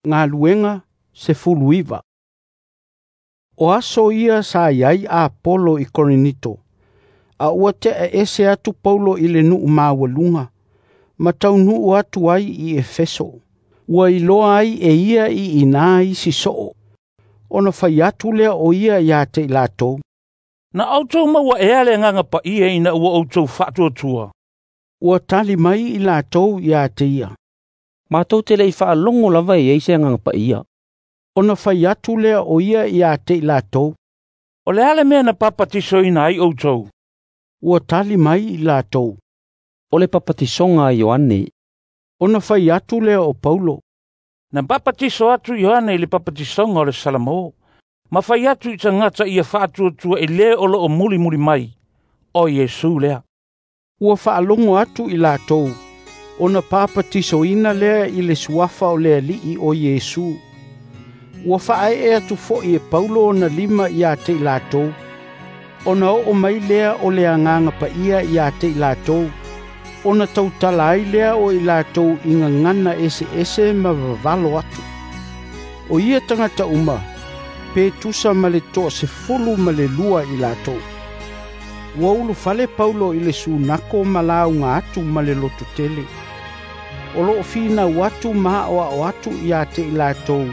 Galuega 19. O aso ia sa iai Apolo i Korinito, a ua tea ese atu Paulo i le nuu maualuga, ma taunuu atu ai i Efeso. Ua iloa ai e ia i ina isi soo, ona fai atu lea o ia ia te i latou. Na outou maua ea le Agaga Paia ina ua outou faatuatua? Ua tali mai i latou ia te ia. Matou te le i faalogo lava e i ai se Agaga Paia. Ona fai atu lea o ia ia te i latou. O le a le mea na papatisoina ai outou? Ua tali mai i latou. O le papatisoga a Ioane. Ona fai atu lea o Paulo. Na papatiso atu Ioane i le papatisoga o le Salamo, ma fai atu i tagata ia faatuatua i le o loo mulimuli mai, o Iesu lea. Ua faalogo atu i latou, ona papatisoina lea i le suafa o le Alii o Iesu. Ua faaee atu foi e Paulo ona lima ia te i latou, ona oo mai lea o le Agaga Paia ia te i latou, ona tautala ai lea o i latou i gagana eseese ma vavalo atu. O ia tagata uma, pe tusa ma le 12 i latou. Ua ulufale Paulo i le sunako ma lauga atu ma le lototele. O loo finau atu ma aoao atu ia te i latou,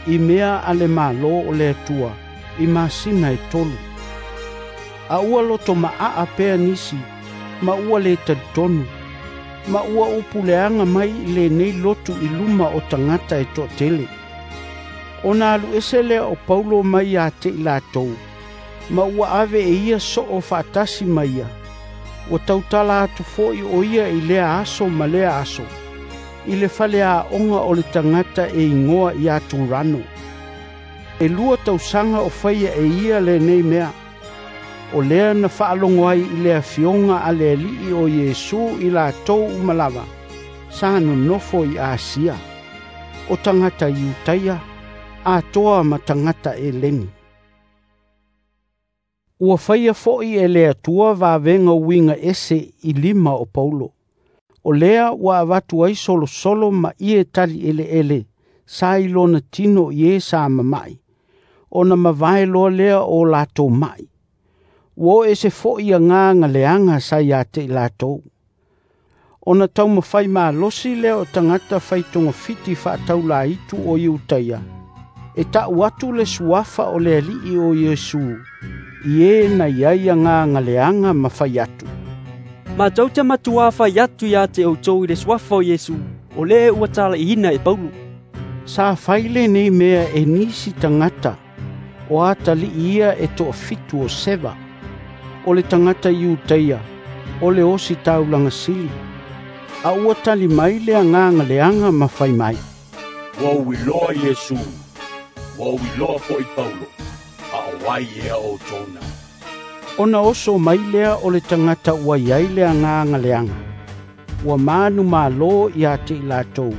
i mea a le Malo o le Atua, i masina e 3. A ua loto maa pea nisi, ma ua le talitonu, ma ua upuleaga mai i lenei lotu i luma o tagata e toatele. Ona alu ese lea o Paulo mai ia te i latou, ma ua ave e ia soo faatasi ma ia. Ua tautala atu foi o ia i lea aso ma lea aso, i le faleaoga o le tagata e igoa ia Turano. E 2 tausaga o faia e ia lenei mea. O lea na faalogo ai i le afioga a le Alii o Iesu i latou uma lava, sa nonofo i Asia, o tagata Iutaia, atoa ma tagata Eleni. Ua faia foi e le Atua vavega uiga ese i lima o Paulo. O lea ua avatu ai solosolo ma ie tali eleele sa i lona tino i e sa mamai, ona mavae loa lea o latou mai. Ua o ese foi agaga leaga sa ia te i latou. Ona taumafai malosi lea o tagata faitogafiti faataulaitu o Iutaia, e tau atu le suafa o le Alii o Iesu, i e na iai agaga leaga ma fai atu. Matou te matua fai atu ia te outou i le suafa o Iesu, o le ua talaiina e Paulo. Sa fai lenei mea e nisi tagata, o atalii ia e 7 o Seva, o le tagata Iutaia, o le osi taulaga sili. A ua tali mai le agaga leaga ma fai mai. Ua ou iloa Iesu, ua ou iloa foi Paulo, a o ai ea outou na. Ona oso mai lea o le tagata ua iai le agaga leaga. Ua manu malo ia te i latou,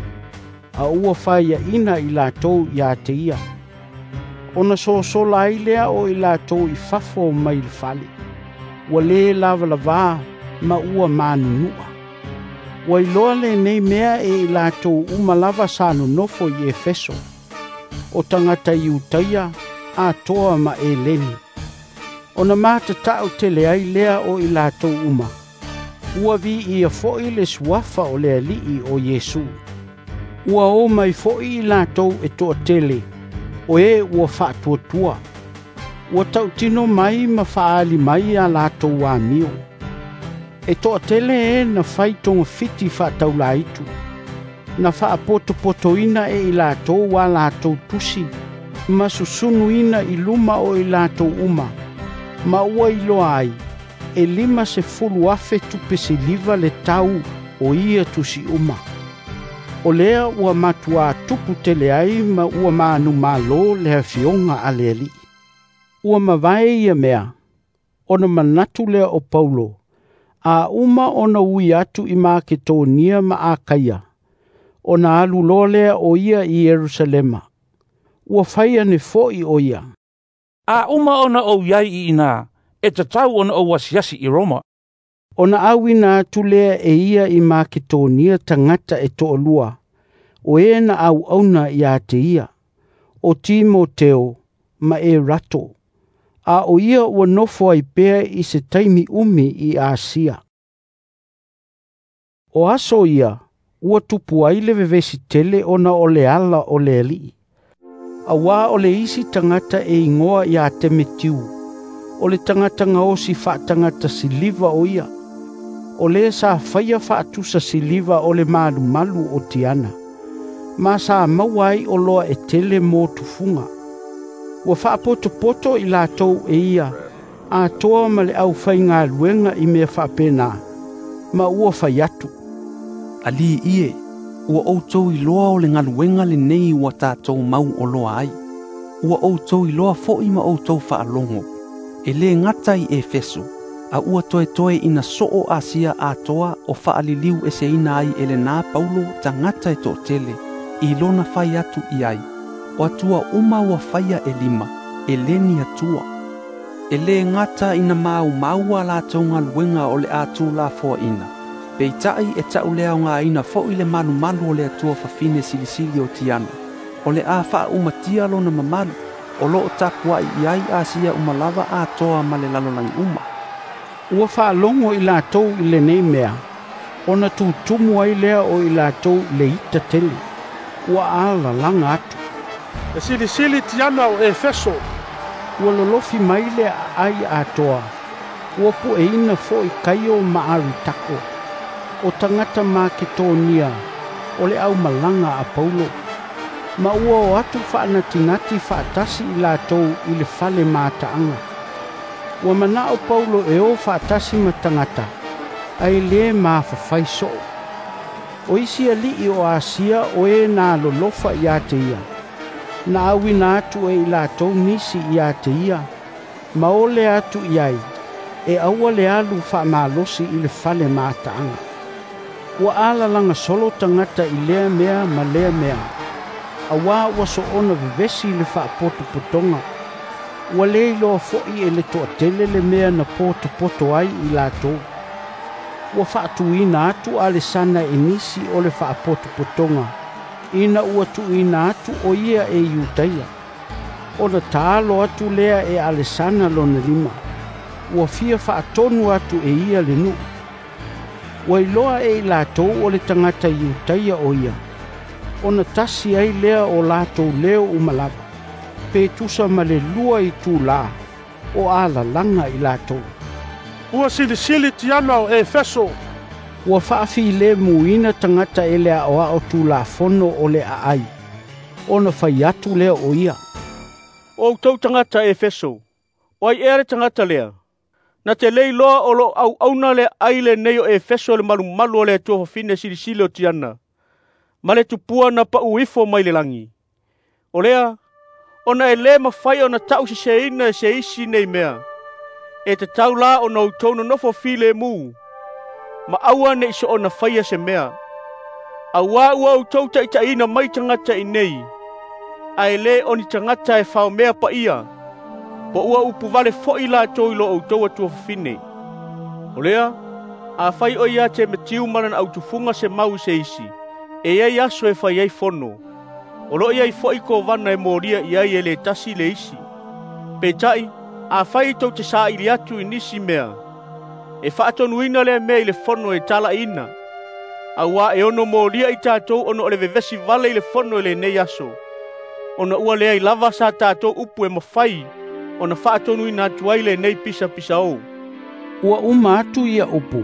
a ua faiaina i latou ia te ia. Ona sosola ai lea o i latou i fafo mai le fale. Ua le lavalavā ma ua manunua. Ua iloa lenei mea e i latou uma lava sa nonofo i Efeso, o tagata Iutaia, atoa ma Eleni. Ona matatau tele ai lea o i latou uma. Ua viia foi le suafa o le Alii o Iesu. Ua o mai foi i latou e toatele, o e ua faatuatua. Ua tautino mai ma faali mai a latou amio. E toatele e na fai togafiti faataulaitu, na faapotopotoina e i latou a latou tusi, ma susunuina i luma o i latou uma, ma ua iloa ai, e 50,000 tupe siliva le tau o ia tusi uma. O lea ua matua tupu tele ai ma ua manumalo le afioga a le Alii. Ua mavae ia mea, ona manatu lea o Paulo, a uma ona ui atu i Maketonia ma Akaia, ona alu loa lea o ia i Ierusalema. Ua fai ane foi o ia. A uma ona ou iai i ina, e tatau ona ou asiasi i Roma. Ona auina atu lea e ia i Maketonia tagata e 2, o e na auauna ia te ia, o Timoteo ma Erato, a o ia ua nofo ai pea i se taimi umi i Asia. O aso ia, ua tupu ai le vevesi tele ona o le ala o le alii. Auā o le isi tagata e igoa ia Temetiu, o le tagata gaosi faatagata siliva o ia, o le sa faia faatusa siliva o le malumalu o Tiana, ma sa maua ai oloa e tele mo tufuga. Ua faapotopoto i latou e ia, atoa ma le aufaigaluega i mea faapena, ma ua fai atu, Alii ie, ua outou iloa o le galuega lenei ua tatou mau oloa ai. Ua outou iloa fo'i ma outou faalogo, e lē gata i Efeso, a ua toetoe ina soo Asia atoa o faaliliu eseina ai e lenā Paulo tagata e toatele, i lona fai atu i ai, o atua uma ua faia e lima, e lē ni Atua. E lē gata ina maumau a latou galuega o le a tulafoaina, peita'i e ta'uleaogāina fo'i le malumalu o le Atua fafine silisili o Tiana, o le a faaumatia lona mamalu, o loo tapua'i i ai Asia uma lava atoa ma le lalolagi uma. Ua faalogo i latou i lenei mea, ona tutumu ai lea o i latou i le ita tele. Ua alalaga atu, E silisili Tiana o Efeso. Ua lolofi mai le aai atoa, ua pueina fo'i Kaio ma Aritako, o tagata Maketonia o le aumalaga a Paulo, ma ua o atu faanatinati faatasi i latou i le fale mataaga. Ua manao Paulo e o faatasi ma tagata, ae lē mafafai soo. O isi alii o Asia o e na lolofa ia te ia, na auina atu e i latou nisi ia te ia, ma ole atu i ai, e aua le alu faamalosi i le fale mataaga. Ua alalaga solo tagata i lea mea ma lea mea, auā ua soona vevesi le faapotopotoga. Ua lē iloa fo'i e le toatele le mea na potopoto ai i latou. Ua faatuina atu Alesana e nisi o le faapotopotoga, ina ua tuuina atu o ia e Iutaia. Ona taalo atu lea e Alesana lona lima, ua fia faatonu atu e ia le nuu. Ua iloa e i latou o le tagata Iutaia o ia, ona tasi ai lea o latou leo uma lava, pe tusa ma le 2 itulā o alalaga i latou. Ua silisili Tiana o Efeso. Ua faafilemuina tagata e le aoao tulafono o le aai, ona fai atu lea o ia, O outou tagata Efeso, o ai ea le tagata lea? Na te le iloa o loo auauna le aai lenei o Efeso le malumalu o le Atua fafine silisili o Tiana, ma le tupua na pau ifo mai le lagi. O lea, ona e lē mafai ona ta'useseina e se isi nei mea, e tatau la ona outou nonofo filemu, ma aua ne'i soona faia se mea. Auā ua outou taʻitaʻiina mai tagata i nei, ae lē o ni tagata e faomea paia, po ua upuvale fo'i latou i lo outou atua fafine. O lea, afai o ia Temetiu ma lana autufuga se mau i se isi, e iai aso e fai ai fono, o loo iai fo'i kovana e molia i ai e lē tasi le isi. Peita'i, afai tou te saili atu i nisi mea, e faatonuina lea mea i le fono e talaina, auā e ono molia i tatou ona o le vevesi vale i le fono i lenei aso, ona ua leai lava sa tatou upu e mafai ona faatonuina atu ai lenei pisapisaō. Ua uma atu ia upu,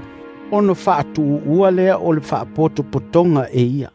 ona faatuuua lea o le faapotopotoga e ia.